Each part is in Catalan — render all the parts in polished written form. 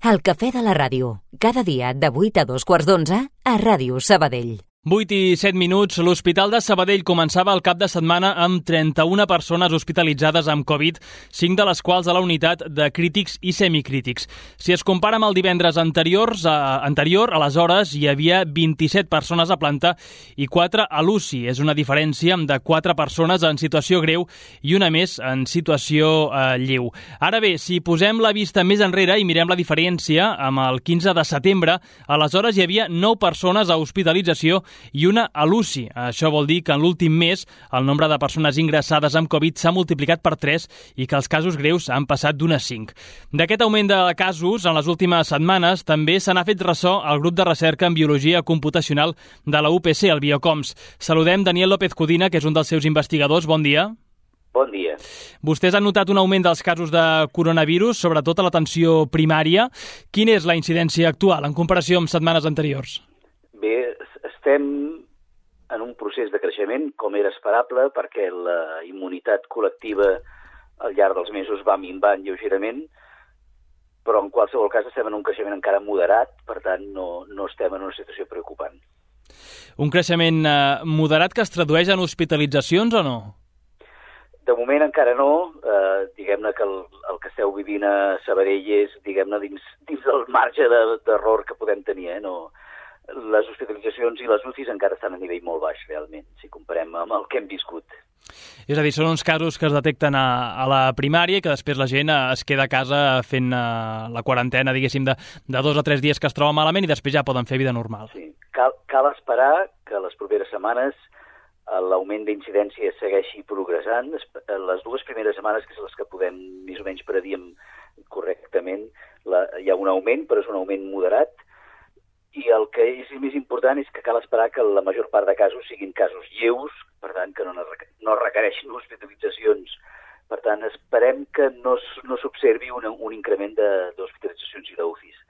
El cafè de la ràdio, cada dia de 8 a 2:15 a Ràdio Sabadell. 8 i 7 minuts, l'Hospital de Sabadell començava el cap de setmana amb 31 persones hospitalitzades amb Covid, 5 de les quals a la unitat de crítics i semicrítics. Si es compara amb el divendres anterior, aleshores hi havia 27 persones a planta i 4 a l'UCI. És una diferència de 4 persones en situació greu i una més en situació lleu. Ara bé, si posem la vista més enrere i mirem la diferència, amb el 15 de setembre, aleshores hi havia 9 persones a hospitalització i una a l'UCI. Això vol dir que en l'últim mes el nombre de persones ingressades amb Covid s'ha multiplicat per 3 i que els casos greus han passat d'un a 5. D'aquest augment de casos, en les últimes setmanes, també se n'ha fet ressò al grup de recerca en biologia computacional de la UPC, el Biocoms. Saludem Daniel López Codina, que és un dels seus investigadors. Bon dia. Bon dia. Vostès han notat un augment dels casos de coronavirus, sobretot a l'atenció primària. Quina és la incidència actual en comparació amb setmanes anteriors? Bé, estem en un procés de creixement, com era esperable, perquè la immunitat col·lectiva al llarg dels mesos va minvant lleugerament, però en qualsevol cas estem en un creixement encara moderat, per tant no estem en una situació preocupant. Un creixement moderat que es tradueix en hospitalitzacions o no? De moment encara no. Diguem-ne que el que esteu vivint a Sabadell és, diguem-ne, dins del marge d'error que podem tenir, no? Les hospitalitzacions i les UCIs encara estan a nivell molt baix, realment, si comparem amb el que hem viscut. És a dir, són uns casos que es detecten a la primària i que després la gent es queda a casa fent la quarantena, diguéssim, de 2 o 3 dies que es troba malament i després ja poden fer vida normal. Sí, cal esperar que les properes setmanes l'augment d'incidència segueixi progressant. Les 2 primeres setmanes, que són les que podem més o menys predir correctament, hi ha un augment, però és un augment moderat. I el que és més important és que cal esperar que la major part de casos siguin casos lleus, per tant, que no requereixin hospitalitzacions. Per tant, esperem que no s'observi un increment d'hospitalitzacions i d'UCIs.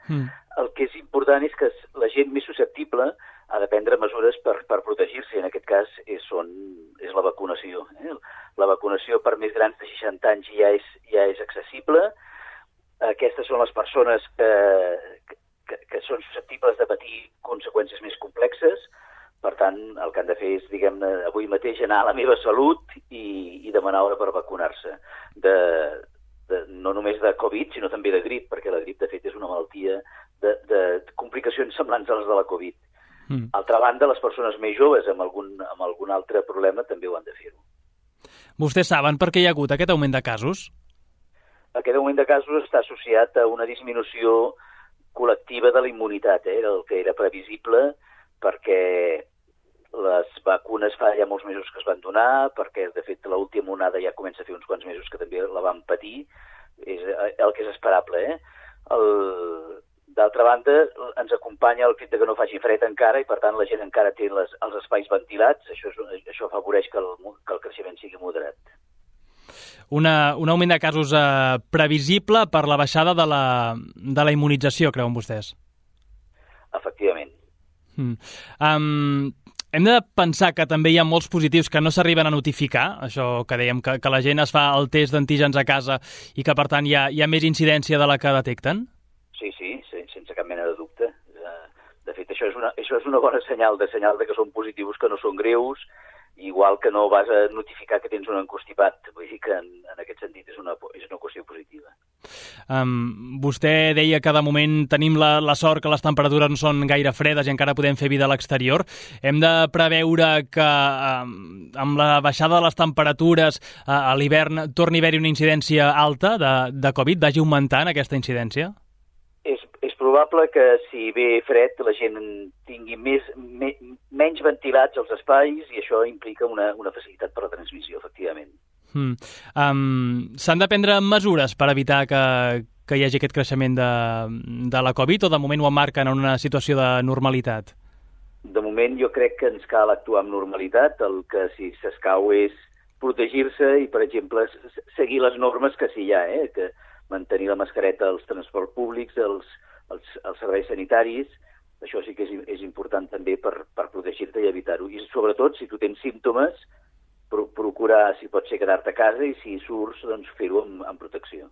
El que és important és que la gent més susceptible ha de prendre mesures per protegir-se. En aquest cas és la vacunació. La vacunació per més grans de 60 anys ja és accessible. Aquestes són les persones que són susceptibles de patir conseqüències més complexes. Per tant, el que han de fer és, diguem-ne, avui mateix anar a la meva salut i demanar hora per vacunar-se. No només de Covid, sinó també de grip, perquè la grip, de fet, és una malaltia de complicacions semblants a les de la Covid. Altra banda, les persones més joves amb algun altre problema també ho han de fer-ho. Vostès saben per què hi ha hagut aquest augment de casos? Aquest augment de casos està associat a una disminució col·lectiva de la immunitat, el que era previsible, perquè les vacunes fa ja molts mesos que es van donar, perquè, de fet, l'última onada ja comença a fer uns quants mesos que també la van patir, és el que és esperable. D'altra banda, ens acompanya el fet que no faci fred encara i, per tant, la gent encara té els espais ventilats. Això afavoreix que el creixement sigui moderat. Un augment de casos previsible per la baixada de la immunització, creuen vostès? Efectivament. Hem de pensar que també hi ha molts positius que no s'arriben a notificar, això que dèiem, que la gent es fa el test d'antígens a casa i que, per tant, hi ha més incidència de la que detecten? Sí, sense cap mena de dubte. De fet, això és una bona senyal de que són positius, que no són greus, igual que no vas a notificar que tens un encostipat. Vull dir que en aquest sentit és una qüestió positiva. Vostè deia que de moment tenim la sort que les temperatures no són gaire fredes i encara podem fer vida a l'exterior. Hem de preveure que amb la baixada de les temperatures a l'hivern torni a haver-hi una incidència alta de Covid, vagi augmentant aquesta incidència? És probable que si ve fred la gent tingui menys ventilats els espais i això implica una facilitat per la transmissió, efectivament. S'han de prendre mesures per evitar que hi hagi aquest creixement de la Covid o de moment ho emmarquen en una situació de normalitat? De moment jo crec que ens cal actuar amb normalitat. El que si s'escau és protegir-se i, per exemple, seguir les normes que sí hi ha, que mantenir la mascareta als transports públics, als serveis sanitaris. Això sí que és important també per protegir-te i evitar-ho. I sobretot, si tu tens símptomes, procurar, si pot ser, quedar-te a casa i si surts, doncs fer-ho amb protecció.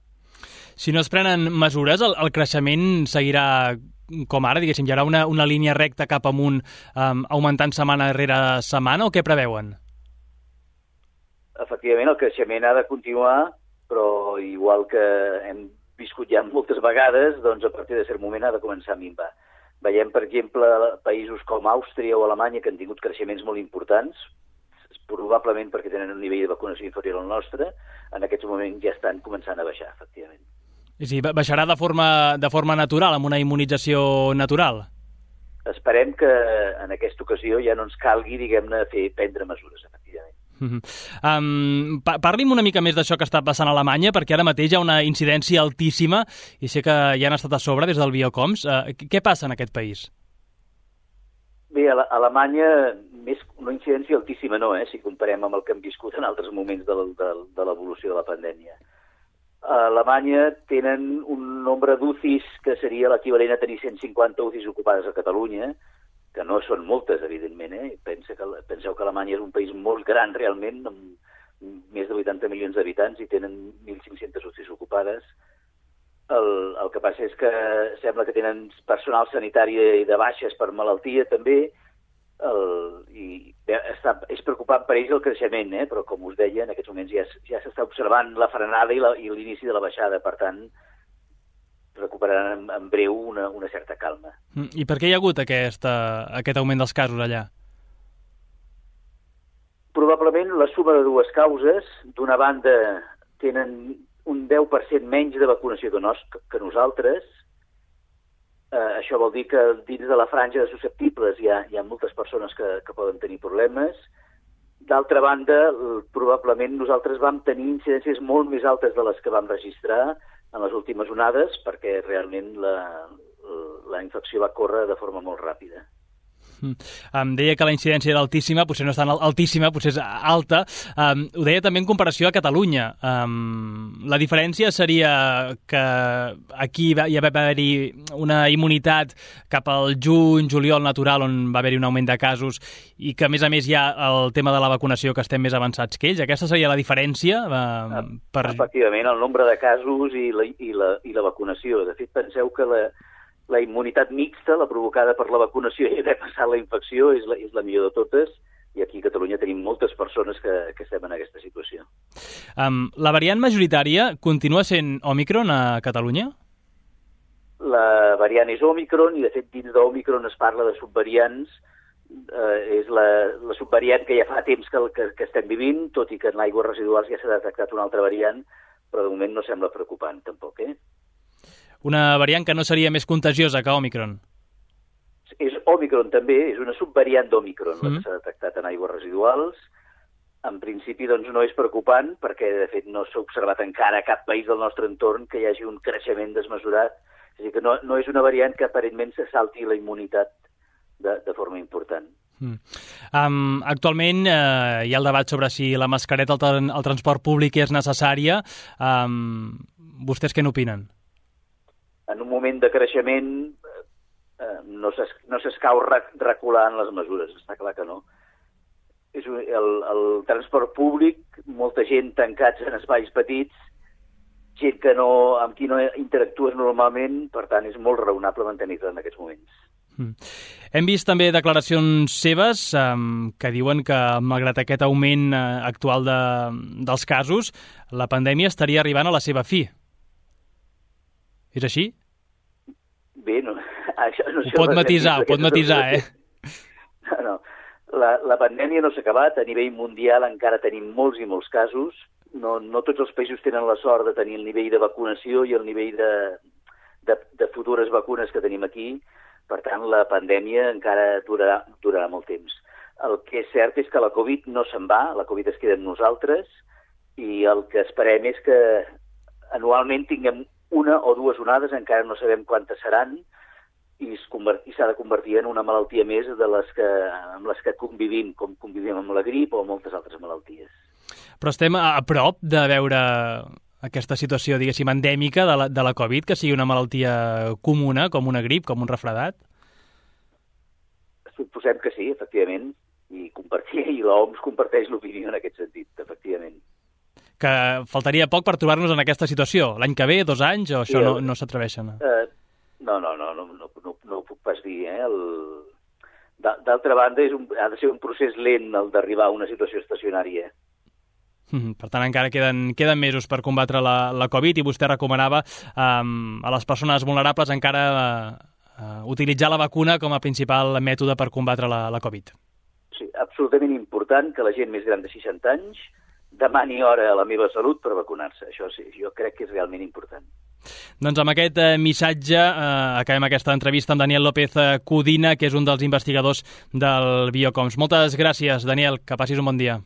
Si no es prenen mesures, el creixement seguirà com ara, diguéssim, hi haurà una línia recta cap amunt, augmentant setmana rere setmana, o què preveuen? Efectivament, el creixement ha de continuar, però igual que hem viscut ja moltes vegades, doncs a partir de cert moment ha de començar a minvar. Veiem, per exemple, països com Àustria o Alemanya que han tingut creixements molt importants, probablement perquè tenen un nivell de vacunació inferior al nostre, en aquests moments ja estan començant a baixar, efectivament. Sí, baixarà de forma natural, amb una immunització natural? Esperem que en aquesta ocasió ja no ens calgui, diguem-ne, prendre mesures, efectivament. Parli'm una mica més d'això que està passant a Alemanya, perquè ara mateix hi ha una incidència altíssima i sé que ja han estat a sobre des del Biocoms. Què passa en aquest país? Bé, a Alemanya, una incidència altíssima no, si comparem amb el que hem viscut en altres moments de l'evolució de la pandèmia. A Alemanya tenen un nombre d'UCIs que seria l'equivalent a tenir 150 UCIs ocupades a Catalunya, que no són moltes, evidentment. Penseu que Alemanya és un país molt gran, realment, amb més de 80 milions d'habitants i tenen 1.500 UCIs ocupades. El que passa és que sembla que tenen personal sanitari de baixes per malaltia, també, i és preocupant per ells el creixement, però com us deia, en aquests moments ja s'està observant la frenada i l'inici de la baixada, per tant, recuperaran en breu una certa calma. I per què hi ha hagut aquest augment dels casos allà? Probablement la suma de dues causes. D'una banda, tenen un 10% menys de vacunació que nosaltres. Això vol dir que dins de la franja de susceptibles hi ha moltes persones que poden tenir problemes. D'altra banda, probablement nosaltres vam tenir incidències molt més altes de les que vam registrar en les últimes onades, perquè realment la infecció va córrer de forma molt ràpida. Em deia que la incidència era altíssima, potser no és tan altíssima, potser és alta. Ho deia també en comparació a Catalunya. La diferència seria que aquí hi va haver-hi una immunitat cap al juny, juliol natural, on va haver-hi un augment de casos, i que, a més, hi ha el tema de la vacunació, que estem més avançats que ells. Aquesta seria la diferència? Efectivament, el nombre de casos i la vacunació. De fet, penseu que la immunitat mixta, la provocada per la vacunació i haver passat la infecció, és la millor de totes, i aquí a Catalunya tenim moltes persones que estem en aquesta situació. La variant majoritària continua sent Òmicron a Catalunya? La variant és Òmicron, i de fet dins d'Òmicron es parla de subvariants. És la subvariant que ja fa temps que estem vivint, tot i que en aigües residuals ja s'ha detectat una altra variant, però de moment no sembla preocupant tampoc, Una variant que no seria més contagiosa que Òmicron? És Òmicron també, és una subvariant d'Òmicron, la que s'ha detectat en aigües residuals. En principi, doncs, no és preocupant, perquè, de fet, no s'ha observat encara a cap país del nostre entorn que hi hagi un creixement desmesurat. És a dir, que no és una variant que aparentment se salti la immunitat de forma important. Actualment hi ha el debat sobre si la mascareta al transport públic és necessària. Vostès què n'opinen? En un moment de creixement no s'escau recular en les mesures, està clar que no. El transport públic, molta gent tancats en espais petits, gent amb qui no interactues normalment, per tant és molt raonable mantenir-te en aquests moments. Hem vist també declaracions seves que diuen que, malgrat aquest augment actual dels casos, la pandèmia estaria arribant a la seva fi. És així? Bé, no, això no sé. Ho pot matisar, No. La pandèmia no s'ha acabat. A nivell mundial encara tenim molts i molts casos. No tots els països tenen la sort de tenir el nivell de vacunació i el nivell de futures vacunes que tenim aquí. Per tant, la pandèmia encara durarà molt temps. El que és cert és que la Covid no se'n va, la Covid es queda amb nosaltres, i el que esperem és que anualment tinguem una o dues onades, encara no sabem quantes seran, i s'ha de convertir en una malaltia més amb les que convivim, com convivim amb la grip o amb moltes altres malalties. Però estem a prop de veure aquesta situació, diguéssim, endèmica de la Covid, que sigui una malaltia comuna, com una grip, com un refredat? Suposem que sí, efectivament, i l'OMS comparteix l'opinió en aquest sentit, efectivament. que faltaria poc per trobar-nos en aquesta situació. L'any que ve, 2 anys, o això no s'atreveixen? No ho puc pas dir. D'altra banda, ha de ser un procés lent el d'arribar a una situació estacionària. Per tant, encara queden mesos per combatre la Covid, i vostè recomanava a les persones vulnerables encara utilitzar la vacuna com a principal mètode per combatre la Covid. Sí, absolutament important que la gent més gran de 60 anys demani hora a la meva salut per vacunar-se. Això sí, jo crec que és realment important. Doncs amb aquest missatge acabem aquesta entrevista amb Daniel López Codina, que és un dels investigadors del Biocoms. Moltes gràcies, Daniel, que passis un bon dia.